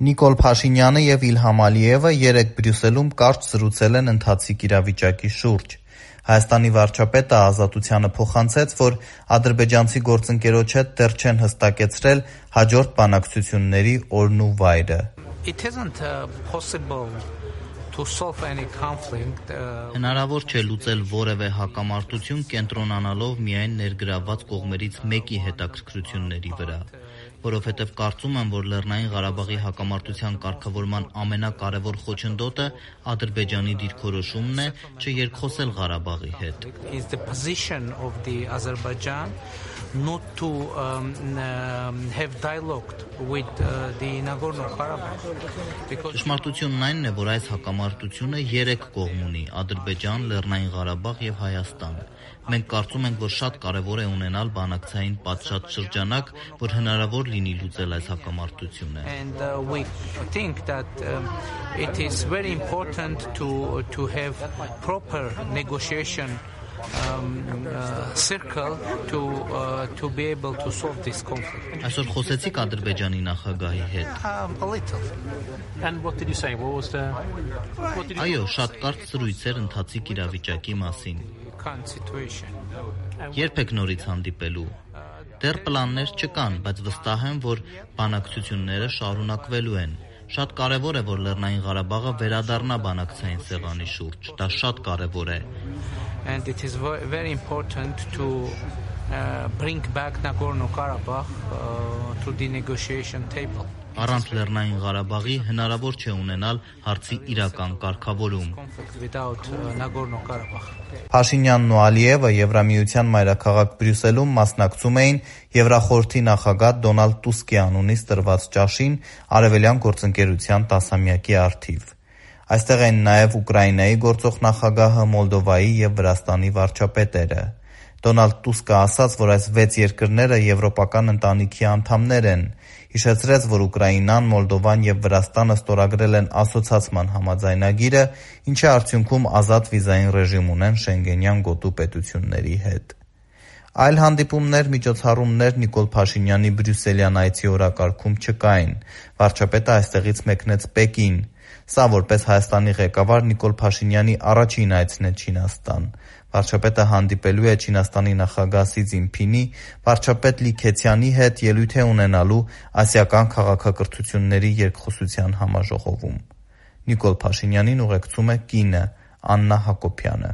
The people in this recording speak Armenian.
Նիկոլ Փաշինյանը և Իլհամ Ալիևը երեկ Բրյուսելում կարճ զրուցել են ընթացիկ իրավիճակի շուրջ։ Հայաստանի վարչապետը Ազատությանը փոխանցեց, որ ադրբեջանցի գործընկերոջ հետ դեռ չեն հստակեցրել հաջորդ բանակցությունների օրն ու վայրը։ Հնարավոր չէ լուծել որևէ հակամարտություն կենտրոնանալով միայն ներգրավված կողմերից մեկի հետաքրքրությունների վրա, որովհետև կարծում եմ, որ Լեռնային Ղարաբաղի հակամարտության կարգավորման ամենակարևոր խոչընդոտը Ադրբեջանի դիրքորոշումն է չերկխոսել Ղարաբաղի հետ։ Not to have dialogue with the Nagorno-Karabakh. Ճշմարտությունն այն է, որ այս հակամարտությունը երեք կողմ ունի՝ Ադրբեջան, Լեռնային Ղարաբաղ եւ Հայաստան։ Մենք կարծում ենք, որ շատ կարևոր է ունենալ բանակցային պատշաճ շրջանակ, որ հնարավոր լինի լուծել այս հակամարտությունը։ And we think that it is very important to have proper negotiation circle to be able to solve this conflict. Այսօր խոսեցիք Ադրբեջանի նախագահի հետ։ A little. And what did you say? What was the Այո, շատ կարճ զրույց էր ընթացիկ իրավիճակի մասին։ Երբ եք նորից հանդիպելու։ Դեռ պլաններ չկան, բայց վստահ եմ, որ բանակցությունները շարունակվելու են։ Շատ կարևոր է, որ Լեռնային Ղարաբաղը վերադառնա բանակցային սեղանի շուրջ։ Դա շատ կարևոր է։ And it is very important to bring back Nagorno-Karabakh to the negotiation table. Առանց Լեռնային Ղարաբաղի հնարավոր չէ ունենալ հարցի իրական կարգավորում։ Փաշինյանն ու Ալիևը Եվրամիության մայրաքաղաք Բրյուսելում մասնակցում էին Եվրախորհրդի նախագահ Դոնալդ Տուսկի անունից տրված ճաշին Արևելյան գործընկերության 10-ամյակի առթիվ։ Այստեղ են նաև Ուկրաինայի գործող նախագահը, Մոլդովայի և Վրաստանի վարչապետերը։ Դոնալդ Տուսկը ասաց, որ այս 6 երկրները եվրոպական ընտանիքի անդամներ են։ Հիշեցրեց, որ Ուկրաինան, Մոլդովան և Վրաստանը ստորագրել են ասոցացման համաձայնագիրը, ինչի արդյունքում ազատ վիզային ռեժիմ ունեն Շենգենյան գոտու պետությունների հետ։ Այլ հանդիպումներ, միջոցառումներ Նիկոլ Փաշինյանի բրյուսելյան այցի օրակարգում չկային։ Վարչապետը այստեղից մեկնեց Պեկին։ Սա որպես Հայաստանի ղեկավար Նիկոլ Փաշինյանի առաջին այցն է Չինաստան։ Վարչապետը հանդիպելու է Չինաստանի նախագահ Սի Ցզինփինի, վարչապետ Լի Քեցյանի հետ ելույթ է ունենալու ասիական քաղաքակրթությունների երկխոսության համաժողովում։ Նիկոլ Փաշինյանին ուղեկցում է կինը՝ Աննա Հակոբյանը։